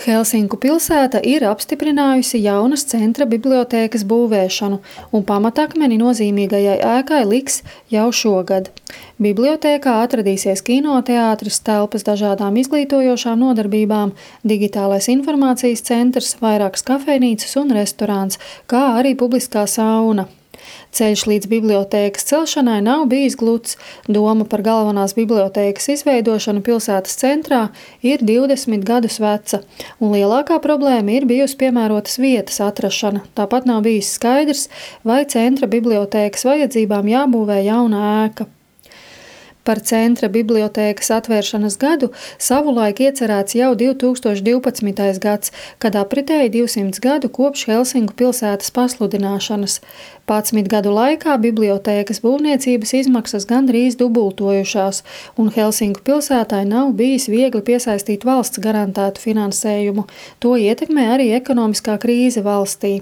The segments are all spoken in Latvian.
Helsinku pilsēta ir apstiprinājusi jaunas centra bibliotēkas būvēšanu, un pamatakmeni nozīmīgajai ēkai liks jau šogad. Bibliotēkā atradīsies kinoteātris, telpas dažādām izglītojošām nodarbībām, digitālais informācijas centrs, vairākas kafejnīcas un restorāns, kā arī publiskā sauna. Ceļš līdz bibliotēkas celšanai nav bijis gluds. Doma par galvenās bibliotēkas izveidošanu pilsētas centrā ir 20 gadus veca, un lielākā problēma ir bijusi piemērotas vietas atrašana. Tāpat nav bijis skaidrs, vai centra bibliotēkas vajadzībām jābūvē jauna ēka. Par centra bibliotēkas atvēršanas gadu savulaik iecerēts jau 2012. gads, kad apritēja 200 gadu kopš Helsinku pilsētas pasludināšanas. 11 gadu laikā bibliotēkas būvniecības izmaksas gandrīz dubultojušās, un Helsinku pilsētai nav bijis viegli piesaistīt valsts garantētu finansējumu. To ietekmē arī ekonomiskā krīze valstī.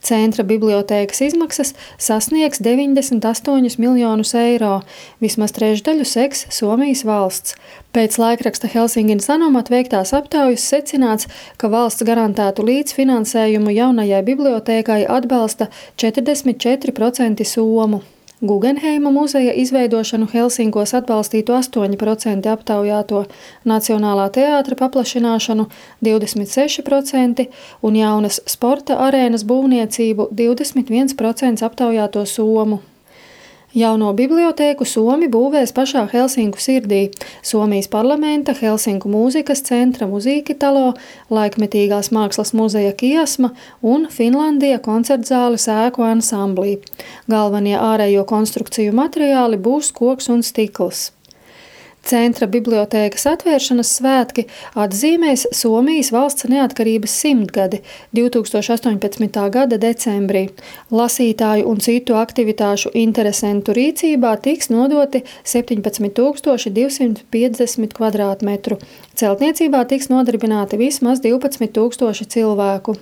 Centra bibliotēkas izmaksas sasniegs 98 miljonus eiro, vismaz trešdaļu seks Somijas valsts. Pēc laikraksta Helsingin Sanomat veiktās aptaujas secināts, ka valsts garantētu līdzfinansējumu jaunajai bibliotēkai atbalsta 44% somu. Guggenheima muzeja izveidošanu Helsinkos atbalstītu 8% aptaujāto, Nacionālā teātra paplašināšanu 26% un jaunas sporta arēnas būvniecību 21% aptaujāto somu. Jauno bibliotēku Somi būvēs pašā Helsinku sirdī. Somijas parlamenta, Helsinku mūzikas centra Musiikkitalo, laikmetīgās mākslas muzeja Kiasma un Finlandija koncertzāles ēku ansamblī. Galvenie ārējo konstrukciju materiāli būs koks un stikls. Centra bibliotēkas atvēršanas svētki atzīmēs Somijas valsts neatkarības 100-gadi 2018. gada decembrī. Lasītāju un citu aktivitāšu interesentu rīcībā tiks nodoti 17,250 kvadrātmetru. Celtniecībā tiks nodarbināti vismaz 12,000 cilvēku.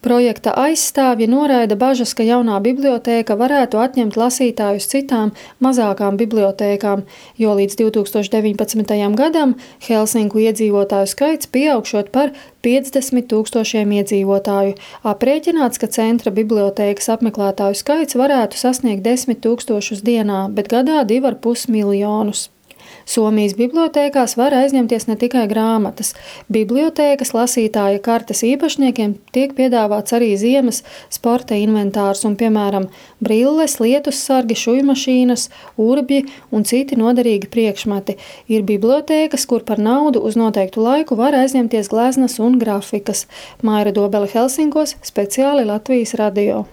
Projekta aizstāvji noraida bažas, ka jaunā bibliotēka varētu atņemt lasītājus citām, mazākām bibliotēkām, jo līdz 2019. gadam Helsinku iedzīvotāju skaits pieaugšot par 50,000 iedzīvotāju. Aprēķināts, ka centra bibliotēkas apmeklētāju skaits varētu sasniegt 10,000 dienā, bet gadā 2,5 miljonus. Somijas bibliotēkās var aizņemties ne tikai grāmatas. Bibliotēkas lasītāja kartes īpašniekiem tiek piedāvāts arī ziemas sporta inventārs un, piemēram, brilles, lietussargi, šujmašīnas, urbji un citi noderīgi priekšmeti. Ir bibliotēkas, kur par naudu uz noteiktu laiku var aizņemties gleznas un grafikas. Maira Dobele Helsinkos, speciāli Latvijas radio.